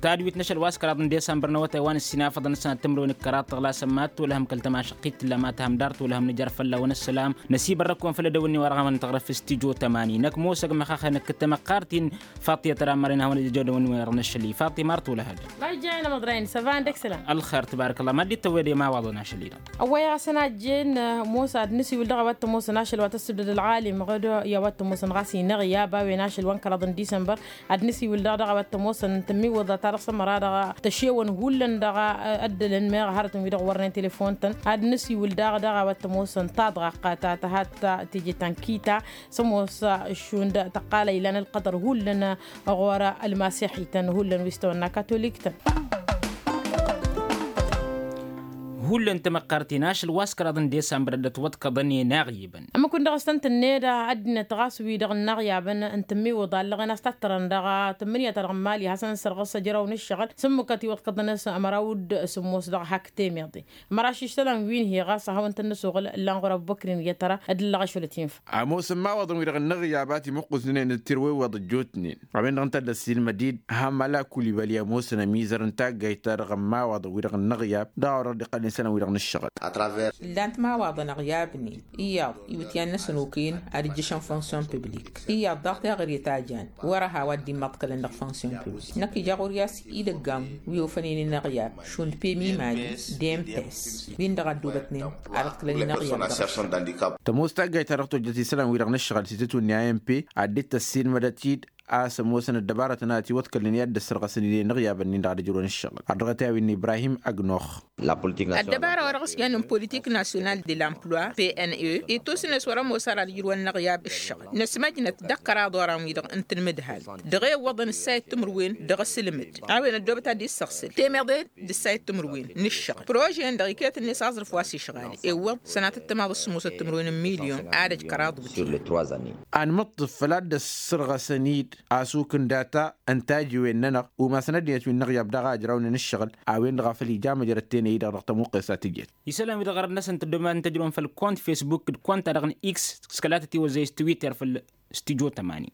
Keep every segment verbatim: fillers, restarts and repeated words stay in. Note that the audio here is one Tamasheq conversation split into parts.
Tadwit n-ašăl wa s-kăraḍ n-disămbăr n-awătay wa n-ǝssinafăḍăn ăssanăt timǝrwen d-kăraḍ tăɣlasăn mad-tolăhăm kăl-tămašăqqit tǝlla ma tăhăm dar tolăhăm nǝjăr fălla-wăn ăssălam. Năsibărrăk-wăn făll-edăwănni wa dăɣ-amăr n-tăɣrăf s-tijo tămani năkk mosăg măxaxăn ǝkk tamăqqartin. Faṭṭi ad-tăra mărăn hawăn-dd-ijădăwănni wa dăɣ-năššăli faṭṭi mar tolăhăd. Majja ena măḍrayăn săvan dăɣ-isălan. Ălxer tăbarăk ăllah mad-dd-tăwwăyăd i-imawaḍăn ašăl-i-dăɣ. Ăwwăyăɣ a-s ănajjen. Mosa ad-nǝsiwǝl dăɣ-a-wa t-ămoosăn ašăl wa tăssǝbdăd ălɣalim ɣǝd i-a-wa t-ămoosăn ɣas inăɣyab a-wen ašăl wa n-kăraḍ n-disămbăr. Ad-nǝsiwǝl daɣ dăɣ-a-wa t-ămoosăn tǝmmiwǝḍa ta dăɣ-sămăra dăɣ-tăšewăn hullan dăɣ-ăddălăn meɣ hărătăn wi-dăɣ wărnen telefon-tăn. Ad-nǝsiwǝl daɣ dăɣ-a-wa t-ămoosăn taḍɣaqqat ta tăhat teje ta n-kita. S-ămoos šund tăqqalăy ilan ălqăḍăr hullan ɣur-ălmasiḥităn hullan wi s-tawănna katolik-tăn. Hullan tamăqqart-in ašăl wa s-kăraḍ n-disămbăr dd-ătwăḍkăḍăn i-inaɣyibăn. Ămmăk-win-dăɣ s-tăn-tǝnned ăddinăt ɣas wi-dăɣ ǝnnaɣyabăn n-tǝmmiwǝḍa ǝllăɣen a-s tattărăn dăɣ-tǝmmǝnǝya-ta-dăɣ n-imali hasăn-sărɣǝs ăjrăw n-ǝššăɣǝl s-ǝmmǝkăt iwăḍkăḍăn s-ămăraw d-sǝmmos dăɣ-hak temeḍe. Ămăraš išsălan wi n-hi ɣas ad-hawăn-tăn-nǝsuɣǝl ǝllan ɣur-ăbubăkr n-iyyăt ara d-ǝllăɣ ašăl ătinfa. Ămoosăn imawaḍăn-wi-dăɣ ǝnnăɣyab a timǝqqǝznen d-tirwewweḍ ăjjootnen a-wen-dăɣ ǝnta a dd-ăssiilmăd-dd hamala kulibali ămoosăn ămizăr n-taggayt-ta-dăɣ n-imawaḍăn-wi-dăɣ ǝnnăɣyab dăɣ-a-wa dăɣ-dd-iqqălnen isălan-wi-dăɣ n-ǝššăɣǝl. Ǝllan-t imawaḍăn ăɣyabnen iyyăḍ iwǝtyan-năsăn okăyăn ad-ǝjjǝšăn fonksyon piblik iyyăḍ daɣ teɣăre ta jan wăr-ăhaw ad-dd-immăḍkălăn dăɣ-fonksyon piblik năkk ija ɣur-i a-s idăgg-am wi ofănen inăɣyab šund pemimali d-empes wi-dăɣ a dd-obătnen ad-ǝḍkǝlăn inăɣyab dăɣ-s. Tămoos taggayt ta dăɣ-tojjăt isălan-wi-dăɣ n-ǝššăɣǝl s-itǝtwǝnni a n p ad-dd-tăssiilmădăt-dd a-s ămoosăn ăddăbarătăn a ătiwăḍkălnen i-ad-dd-ăssărɣăsăn i-inăɣyabăn-nin-dăɣ ad-ǝjrǝwăn ǝššăɣǝl ărdăɣăt i-a-wen n-ibrahim ăgnox. Ăddăbara wa dăɣ-s jannen politik nasyonal de l-emploi pne ittus-net wăr-ămoos ara ad-ǝjrǝwăn inăɣyab ǝššăɣǝl năsmăjnăt dăɣ-kăraḍ oran-wi-dăɣ n-tanmǝdhalt dăɣ-e iwwăḍăn ǝssayăt timǝrwen dăɣ-asǝlmǝd a-wen ăddoobăt ad-dd-issăɣsǝl temeḍe d-ǝssayăt timǝrwen n-ǝššăɣ prože-en-dăɣ iket-net aẓrǝf wa s-išɣal iwwăḍ sănatăt tămaḍ s-sǝmmosăt timǝrwen n-milyon ad-ăj kăraḍ wǝtǝy. Anmǝṭṭǝf făl ad-dd-ăssărɣăsăn-dd asuk n-data n-tajiwen-nănăɣ umasăn ăddinăt wi n-inăɣyab daɣ a ǝjrawnen ǝššăɣǝl a-wen-dăɣ a făl ija măjrăt tenăy-i-dăɣ dăɣ-tămuqqes a tǝjjăt. Isălan-wi-dăɣ ɣărăt-năsăn tăddoobăn tăjrăwăn făll-kont fesbuk d-kont-ta-dăɣ n-x s-kăla tătiwăzzăy s-twitter făll-stujo tămani.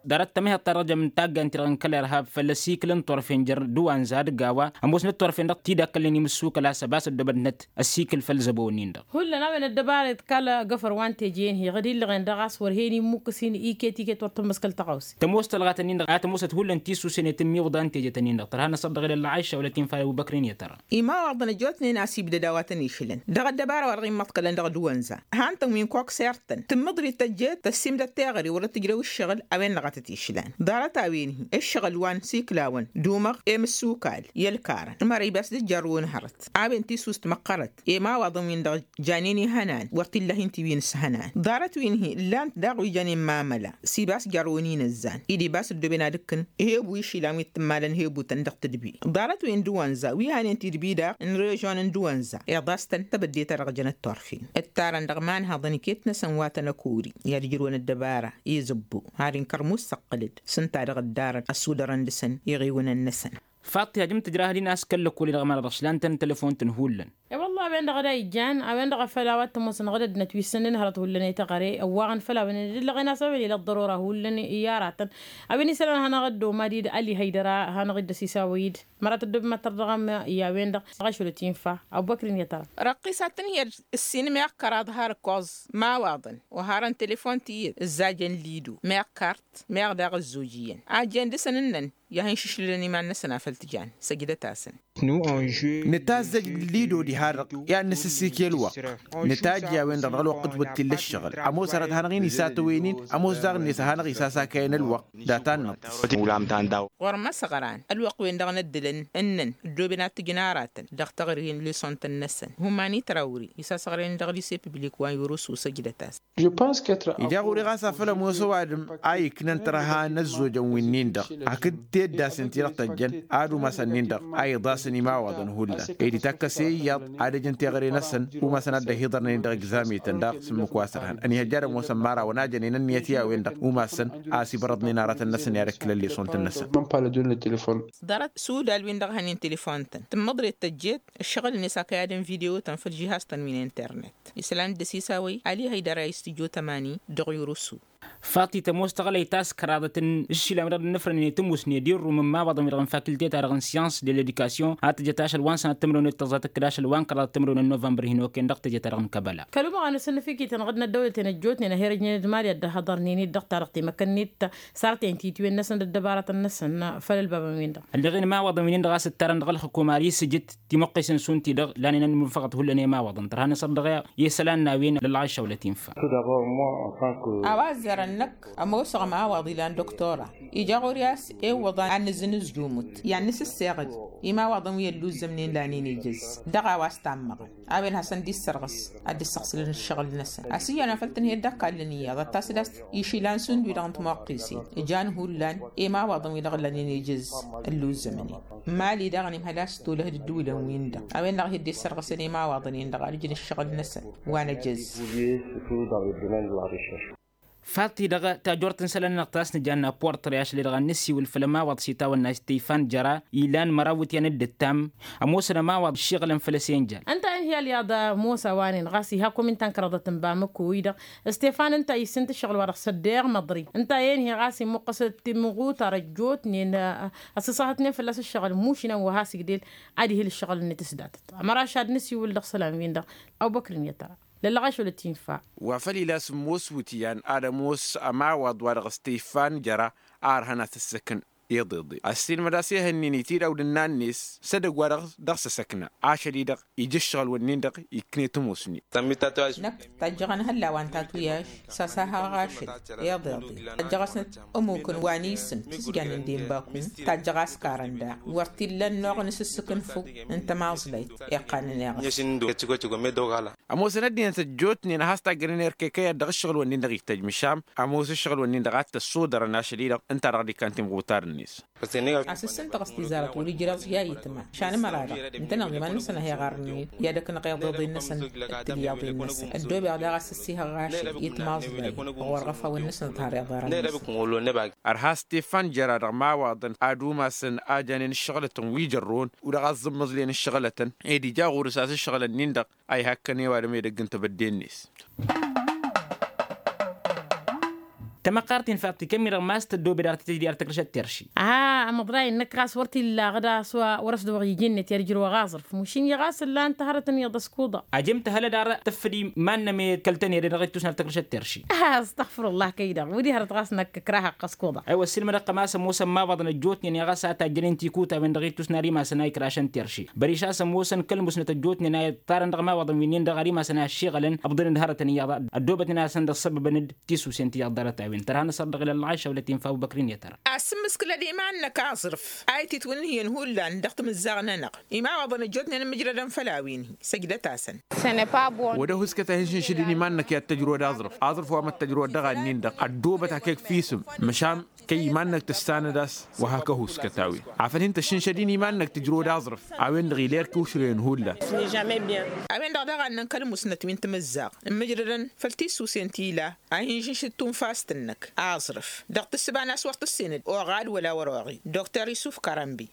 Ḍarăt tămihăḍt-ta-dăɣ jăm n-taggant-ti-dăɣ n-kăl-irhab făll-ăsikǝl n-turfen jer-dăwanza d-gawa ămoosnăt turfen dăɣ-tidakălnen imǝssukăl a-s ăbas ăddoobătnet ăsikǝl făll-zăbo-nin-dăɣ. Hullan a-wen ăddăbaret kal-agăfăr wa n-teje-en-hi ɣǝd illăɣen dăɣ-a-s wăr hen-immukǝs-in iket-iket wăr tǝmmǝskăl tăɣawse. Tămoos tălɣat-nin-dăɣ a tămoosăt hullan tisusen i-tǝmmiwǝḍa n-teje-tăn-in-dăɣ tărha n-asăḍ dăɣ-idălla ašša wăla tinfal abubăkrin i-tăra. Imawaḍăn ăjjootnen a-s ibdăd a-wa tăn-išǝlăn dăɣ-ăddăbara wa dăɣ-immăḍkălăn dăɣ-dăwanza. Han-tăn wi n-koksert-tăn tǝmmǝḍrit tăjjeet tăssiimdăd teɣăre wăr-dd-tǝjrew ǝššăɣǝl a-wen-dăɣ a tăt-išlan ḍarăt-a-wen-hi ǝššăɣǝl wa n-siklawăn d-umăɣ i-imǝssukal i-ălkarăn ămăra ibas d-ǝjjărrǝwăn hărăt. A-wen tisus tǝmăqqărăt i-imawaḍăn-win-dăɣ janen ihănan wăr t-illa hin-ti wi n-ǝshănan ḍarăt-win-hi ǝllan-t daɣ wi jănen mamăla s-ibas jărrǝwăn inăzzan-i d-ibas ăddooben ad-ǝkkǝn. Hebu išilan wi t-ǝmmalăn hebutăn dăɣ-tǝdbi ḍarăt-wen d-wănza wi hanen tidbi daɣ n-režon n-dăwănza iḍas-tăn tebădde-ta-dăɣ jănăt turfen ǝttarăn dăɣ-imanhăḍăn iket-năsăn wa tăn-ăkori i-ad-ǝjrǝwăn ăddăbara i-zăbbo har inkărmus săqqǝlăd s-ǝnta dăɣ-ǝddarăn ăsudărăn dăɣ-săn iɣiwǝnăn-năsăn. Faṭṭi hajăm tǝjrah din a-s kăl-lăkol-i-dăɣ ămăra dăɣ-išlan-tăn telefon-tăn hullan. E-wălla a-wen-dăɣ a da ijjan a-wen-dăɣ a făl a-wa t-ămoosăn ɣǝd ăddinăt wi s-săn-nin hărăt hullan i-teɣăre ăwwaɣăn făll-a-wen dd-ǝllăɣen a-s a-wen ila ăḍḍărora hullan i-aratăn. A-wen isălan hanăɣ-dd-omad-dd ali hăydăra hanăɣ-dd-ăsisawăy-dd. Măra tăddob mad-tărdăɣăm i-a-wen-dăɣ. Dăɣ-ašăl ătinfa abubăkr-in i-tăra. Răqqisat-tăn iyyăd ǝssin meɣ kăraḍ har ǝkkoẓ imawaḍăn wa harăn telefon ti iyyăd ǝzzajăn lido meɣ kart meɣ daɣ ǝzzoj iyyăn a ǝjjen dăɣ-săn ǝnnăn. I-ad-hin-išǝšlǝlăn iman-năsăn a făl t-jan săjdăt-asăn. Nǝtazzăj lido diha-dăɣ i-ad-nǝsǝssikǝy ălwăqq. Nǝtajj i-a-wen-dăɣ dăɣ-ălwăqq ǝtwăttillă ǝššăɣǝl ămoos hărăt hanăɣ-in-isatăwăynen. Ămoos daɣ-net ad-hanăɣ-isasakayăn ălwăqq data-năɣ. Ɣur-măsăɣran ălwăqq-wen-dăɣ n-ăddǝlăn ǝnnăn ăddooben ad-t-ǝjǝn aratăn dăɣ-teɣăre n-lisont-năsăn. Humani trawri isasăɣrăyăn dăɣ-lise piblik wa n-yurǝsu săjdăt-as. Ija ɣur-i ɣas afăl ămoos ăwadǝm a iknăn tărha n-ăzzojăn wi-nin-dăɣ hakd teddasăn ti-dăɣ tăjjăn ad-umasăn-nin-dăɣ a iḍasăn imawaḍăn hullan. Ed itakkăse iyyăḍ ad-ăjǝn teɣăre-năsăn umasăn ad-dd-ăhiḍărnen dăɣ-egzamităn daɣ s-ǝmmǝk wa s-ărhan ănihăjja ad-ămoosăn imărawăn a jănen ǝnniyăt i-a-wen-dăɣ umasăn a-s ibărăḍnen aratăn-năsăn i-ad-ăkkǝlăn lisont-năsăn. Ḍarăt sudal-win-dăɣ hănen telefon-tăn tǝmmăḍret tăjjeet ǝššăɣǝl-net akăyad n-video-tăn făll-žihaz-tăn wi n-internet. Isălan dd-ăsisawăy ali hăydăra i-stujo tămani dăɣ-yurusu. Faḍt-i tămoos tăɣlăyt a-s kăraḍăt n-aššilăm-i-dăɣ d-inǝfrănen i-tămoosne d-irrum n-imawaḍăn-wi-dăɣ n-fakultet-a-dăɣ n-syans de ledikasyon a tăjăt ašăl wa n-sănat timrăwnet tăẓẓa tǝkkǝd ašăl wa n-kăraḍăt timrăwnet novămbăr hin-okăyăn dăɣ-teje-ta-dăɣ n-kăbăla. Kăl-umăɣ a nǝsǝnnǝf-iket-anăɣ d-inăddăwlăten ăjjootnen a her-ǝjnen d-mali ad-dd-ăhhăḍărnen-dd dăɣ-taḍăɣt timăkkăn-net sarăt-en titwen-năsăn d-ăddăbarătăn-năsăn făll-ălbabăn-win-dăɣ. Ǝlleɣ-in imawaḍăn wi-nin-dăɣ a-s ǝttarăn dăɣ-ălxǝkum ar isǝjǝt timăqqesen šund-ti-dăɣ lanen ad-nǝnfăɣăt hullan i-imawaḍăn tărha n-asăr dăɣ-i isălan n-a-wen lălɣayša wăla tinfa. A-wa ăzzarăn năkk ămoosăɣ imawaḍ ilan doktora ija ɣur-i a-s iwwăḍ ad-nǝzzǝnǝzjumǝt i-ad-nǝsǝsseɣ-dd imawaḍăn wi ălluzzămnen lanen ijăzz dăɣ-a-wa s-tammăɣăn a-wen hasăn-dd-issărɣǝs ad-dd-issăɣsǝlăn ǝššăɣǝl-năsăn. Ăsǝyyăn a făl tǝnhăyăt d-ăkall n-iyyăḍ ad-tasǝd a-s išila n-sundwi-dăɣ n-timăqqesen ǝjan hullan imawaḍăn wi-dăɣ lanen ijăzz ălluzzămnen. Mali daɣ ănimhăl a-s tolăh d-ǝddǝwǝlăn-win-dăɣ a-wen-dăɣ a hi-dd-issărɣǝsăn imawaḍăn-in-dăɣ ad-ǝjǝn ǝššăɣǝl-năsăn wa n-ejăzz. Faḍt-i-dăɣ tajort n-isălan-nănăɣ ta s-nǝjanna portre ašăl-i-dăɣ ad-nǝsiwǝl făll-ămawaḍ s-itawănna stefan jăra ilan măraw ityan d-ǝttam ămoosăn ămawaḍ ǝššiɣǝlăn făll-ăsenjal. Ǝnta a inhǝy ălyaḍ ămoos a-wa-nen ɣas iha komin ta n-kăraḍăt n-bamăko-i-dăɣ stefan ǝnta a issǝnt ǝššăɣǝl-wa-dăɣ s-ăddăyăɣ măḍri ǝnta a inhǝy ɣas imuqqăs timɣutar ăjjootnen ăssăsăhătnen fălla-s ǝššăɣǝl mušǝnăn wa has-igdel ad-ihǝl ǝššăɣǝl-net s-datăt. Ămăraš ad-nǝsiwǝl dăɣ-isălan-win-dăɣ. Abubăkr n-iyyăt ara lăllăɣaš wăla tinfa. Wa făl ila s-ămoos wǝtyan ad-ămoos ămawaḍ-wa-dăɣ stefan jăra a ărhăn ad-t-ǝssǝkǝn iḍeḍe ăssiilmăd a-s ehăn-in itidawd ǝnnan-net s-edăgg-wa-dăɣ dăɣ-s ăsăkna ašăl-i-dăɣ ija ǝššăɣǝl-wǝnnin-dăɣ ikknet ămoosnen. Năkk tajjăɣăn hălla wa n-tatuyaš s-asahăɣ ašăl iḍeḍe tajjăɣ-asnăt ămukăn wa n-isǝm s-jannen d-inbakun. Tajjăɣ askarăn daɣ wăr t-illa ănnuɣ n-asǝssǝk n-făw n-tamaẓlayt iqqanăn iɣǝs. Ămoosăn ăddinăt ăjjootnen a has-tajjănen erkekăyăt dăɣ-ǝššăɣǝl-wǝnnin-dăɣ ittăjj măšan ămoos ǝššăɣǝl-wǝnnin-dăɣ a t-ăssodărăn ašăl-i-dăɣ ǝnta-dăɣ d-ikkan timɣutar-net. Asǝssǝntăɣ s-tizarăt wăr-ijrăẓ i-ayǝtma. Šan ămăra-dăɣ ǝntăneḍ iman-năsăn a hi-iɣarnen i-ad-ăknăɣ iḍeḍen-năsăn d-tilyaḍen-năsăn ăddoobeɣ daɣ a-s ăssihăɣ ašăl i-timaẓday ɣur-iɣăfawăn-năsăn d-har iḍarăn-năsăn. Ărha stefan jăra dăɣ-imawaḍăn ad-umasăn a janen ǝššăɣǝlătăn wi jărrăwăn u-dăɣ a ăẓẓǝmmăẓlen ǝššăɣǝlătăn ed ija ɣur-s a-s ǝššăɣǝlăn-in-dăɣ a ihăkkăn i-ăwadǝm edăgg n-tebădde-net. Tamăqqart-in faḍt-i kămmi-dăɣ ma s-tăddoobed ar titǝjdǝy ar tăkrǝšăt terši. Aha ămăḍray-năk ɣas wăr t-illa aɣǝd a-s wăr-ăsdăwăɣ iji-net i-ad-ǝjrǝwăɣ aẓrǝf mušin-i ɣas ǝllan-t hărătăn iyyăḍ ăskuḍa. Ajăm-t hălăd ar tǝffǝd iman-nămi kăl-tăn ere dăɣ-ittusna ar tăkrǝšăt terši. Aha ăstăɣfǝr-ăllah kăy-dăɣ wǝdih hărăt ɣas năkk ǝkrahăɣ-t ăskuḍa. Aywa ăssiilmădăɣ-kăm a-s ămoosăn imawaḍăn ăjjootnen i-ɣas a tajjănen tikuta-wen dăɣ-ittusna ar imasăn a ikrašăn terši băriš a-s ămoosăn kăl-musnăt ăjjootnen a iṭṭarăn dăɣ-imawaḍăn wi-nin-dăɣ ar imasăn a ăššiɣălăn ǝbḍǝnăd hărătăn iyyăḍ ăddoobătnen-asăn dăɣ-săbbăbăn-dd tisusen ti iḍḍărăt a-wen tărha n-asăr dăɣ-ilăl lɣayša wăla tinfa abubăkr-in i-tăra. Asǝmmǝskǝlăd iman-năk aẓrǝf a ititwǝnnǝhyăn hullan dăɣ-timǝzzaɣ-nănăɣ imawaḍăn ăjjootnen ămmǝjrădăn făll-a-wen-hi săjdăt-asăn. Wăr-e huskăt a hin-šǝnšǝdin iman-năk i-ad-tăjrăwăd aẓrǝf aẓrǝf wa măttăjrăwăd dăɣ-annin-dăɣ ăddoobăt hak-e-k f-isǝm. Măšan kăy-iman-năk tǝssanăd a-s wa hak-ăhuskăt a-wen afăl hin-tăššǝnšăd-in iman-năk tǝjrăwăd aẓrǝf. A-wen-dăɣ ila erk iwšrăyăn hullan. A-wen-dăɣ daɣ a ǝnnăn kăl-musnăt wi n-timǝzzaɣ ǝmmǝjrădăn făll-tisusen ti ila a hin-žǝnšǝd tunfast-năk aẓrǝf dăɣ-tǝssǝba n-a-s wăr tǝssenăd oɣal wăla wăr-oɣi. Dr isuf kărănbi.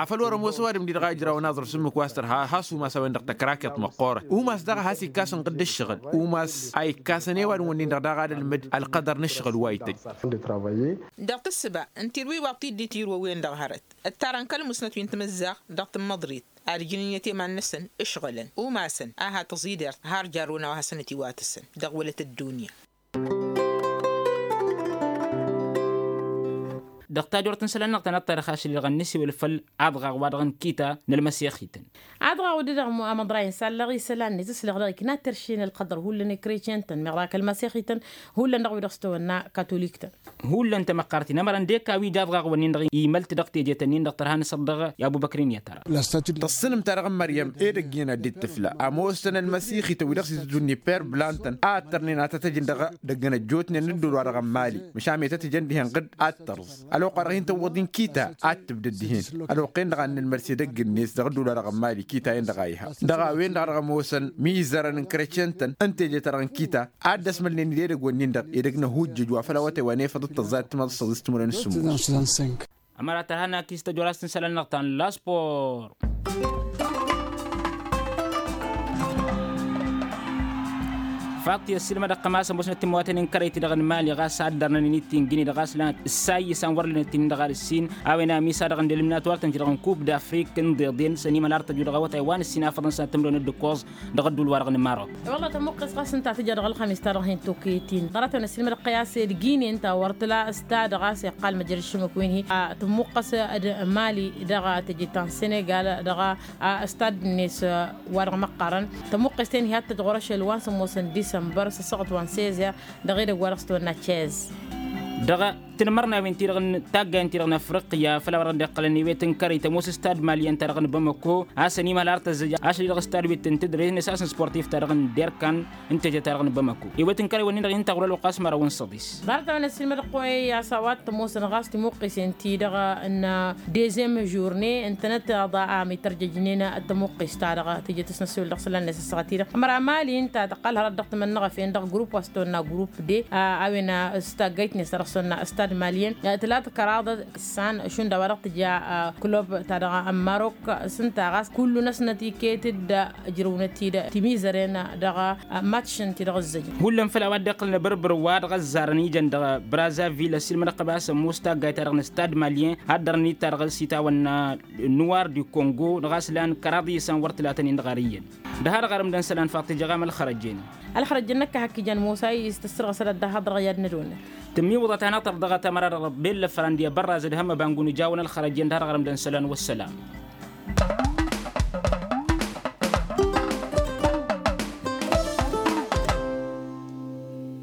Afăl wăr-ămoos ăwadǝm-di-dăɣ a ijrawăn aẓrǝf s-ǝmmǝk wa s-tărha has-umas a-wen-dăɣ tăkraket măqqoorăt umas daɣ a has-ikkas ǝnɣǝd d-ǝššăɣǝl umas a ikkasăn i-ăwadǝm-wǝnnin-dăɣ daɣ ad-ălmǝd ălqăḍăr n-ǝššăɣǝl wa ităjj. Dăɣ-tǝssǝba n-tirwiwaḍt-i dd-itirwăwen dăɣ-hărăt ǝttarăn kăl-musnăt wi n-timǝzzaɣ dăɣ-tǝmmăḍrit ad-ǝjǝn ǝnniyăt i-iman-năsăn ǝšɣǝlăn umasăn a ha tăẓidert har jarrăwăn a-wa hasăn-ătiwatǝsăn dăɣ-wălăt ăddunya. Dăɣ-tajort n-isălan-năɣ ta n-ăṭṭarăx ašăl-i-dăɣ ad-nǝsiwǝl făll-aḍɣaɣ wa dăɣ-nǝkkita n-ălmăsixităn. Aḍɣaɣ-wǝd-dăɣ amăḍray n-sallăɣ isălan-net s-lăɣ dăɣ-ikna terše n-ălqăḍăr hullan i-kretyen-tăn meɣ dăɣ-kăl-măsixităn hullan dăɣ-wi-dăɣ s-tăwănna katolik-tăn. Hullan tamăqqart-in ămărăn d-eka wi d-aḍɣaɣ-wǝnnin-dăɣ imăl-t dăɣ-teje-tăn-in-dăɣ tărha n-asăr dăɣ-i abubăkr-in i-tăra. Tăṣṣǝnǝm-ta-dăɣ n-măryăm edăgg iyyăn ad-dd-tǝfla ămoosăn ălmăsixităn wi dăɣ-s itǝjjǝn iper blan-tăn a ăttărnen ad-tăt-ăjǝn dăɣ-edăgg n-ăjjootnen n-ădduul-wa-dăɣ n-mali măšan i-tăt-ăjăn dihen ɣǝd ad-tărǝẓ. Ălwăqq-wa-dăɣ hin-tăwwăḍ-in kita ad-tǝbdăd dihen. Ălwăqq-en-dăɣ a n-nǝlmărs edăgg-net dăɣ-ădduul-wa-dăɣ n-mali kita-en-dăɣ a iha dăɣ-a-wen-dăɣ a dăɣ-ămoosăn imizărăn n-kretyen-tăn n-teje-ta-dăɣ n-kita ad-dd-ăsmălnen d-edăgg-wǝnnin-dăɣ edăgg n-ăhujjăj wa făl a-wa tewănefăḍ d-tăẓẓayăt timăḍ s-săḍis timǝrwen s-sǝmmos. Ămăra tărha n-akis tăjorast n-isălan-năɣ ta n-laspor. Faḍt i-ăssiilmădăɣ-tăn a-s ămoosnăt timmăwatăn n-kărăy-ti-dăɣ n-mali ɣas ad-dărnăn-in-dd-tingǝni-dăɣ a-s lan ǝssayy isăn wăr lănăt-in-dăɣ ad-ǝssin a-wen amiss-a-dăɣ n-delǝmnat wăr tăn-ti-dăɣ n-kub d-afrik n-iḍeḍen s-ănimăl ar tăju dăɣ-awătay wa n-ǝssin afăḍăn s-ad-tǝmrăwăn d-ǝkkoẓ dăɣ-ădduul-wa-dăɣ n-marok. Wălla tămuqqes ɣas ǝnta a tǝja dăɣ-ălxămis-ta-dăɣ hin-tokăyăt-in ɣărăt-wen ăssiilmădăɣ-tăn i-a-s ed gine ǝnta wăr tǝla s-ta-dăɣ a-s iqqal măjrăd šǝmǝk wi n-hi tămuqqes d-mali dăɣ-teje ta n-senegal dăɣ-stad-net wa dăɣ-măqqarăn. Tămuqqes-ten hi-ad-tăj ɣur-ašăl wa n-sămoosăn disămbăr s-ăssaɣăt wa n-sezer dăɣ-edăgg wa dăɣ-s tăwănna cez. Dăɣ-tinmărnawen-ti-dăɣ n-taggayen-ti-dăɣ n-afriqya făl a-wa dăɣ-dd-iqqălăn i-wet n-kărăy tămoos stad maliyăn-ta-dăɣ n-bamako a-s ănimăhăl ar tăzzăj ašăl-i-dăɣ stad wi t-tǝntǝdre n-esas n-sportif-ta-dăɣ n-derkan n-teje-ta-dăɣ n-bamako. I-wet n-kărăy wănnin-dăɣ i n-taɣwăl ălwăqq a-s măraw n-săḍis. Ḍarăt-a-wen ăssiilmădăɣ-kăwăy a-s a-wa t-ămoosăn ɣas timuqqisen-ti-dăɣ n-dezem žurne ǝntănăt aḍa a ămitărjăjnen. Tămuqqes-ta-dăɣ tǝjǝt s-năssiwǝl dăɣ-isălan-net ăssaɣăt-i-dăɣ ămăra mali ǝnta tăqqal hărăt dăɣ-timănnăɣăfen dăɣ-grupp wa s-tăwănna grupp de a-wen s-taggayt-net ta dăɣ-s tăwănna stad maliyăn. Tǝla tăkăraḍăt issan šund a-wa dăɣ-tǝja klub-ta-dăɣ n-marok s-ǝnta ɣas kullu-năsnăt iket-dd ǝjrăwnăt-dd timizăren dăɣ-matš-n ti-dăɣ ǝzzăjăn. Hullan făll-a-wa dd-iqqălăn abărbăr wa dăɣ-ăzzarăn ijăn dăɣ-brazavil ăssiilmădăɣ-t ăbas ămoos taggayt-ta-dăɣ n-stad maliyăn haddărăn-dd ta dăɣ-s itawănna nuwar di kongo dăɣ-a-s lan kăraḍ iyyăsăn wăr tǝlatăn-in-dăɣ ar iyyăn. Dăɣ-ha-dăɣ arǝmdăn isălan faḍt tǝjăɣam ălxărăjen. Ălxărăjen năkk a hak ijan musa i-s tǝssărɣăsăd ăddahaḍ dăɣ-i ad-nădonăt. Tǝmmiwǝḍăt-anăɣ-tăr dăɣ-tamăra dăɣ-bella fărandi ăbărrazăd hăm ăbangunu jawăn ălxărăjen dăɣ-ha-dăɣ arǝmdăn isălan wăssălam.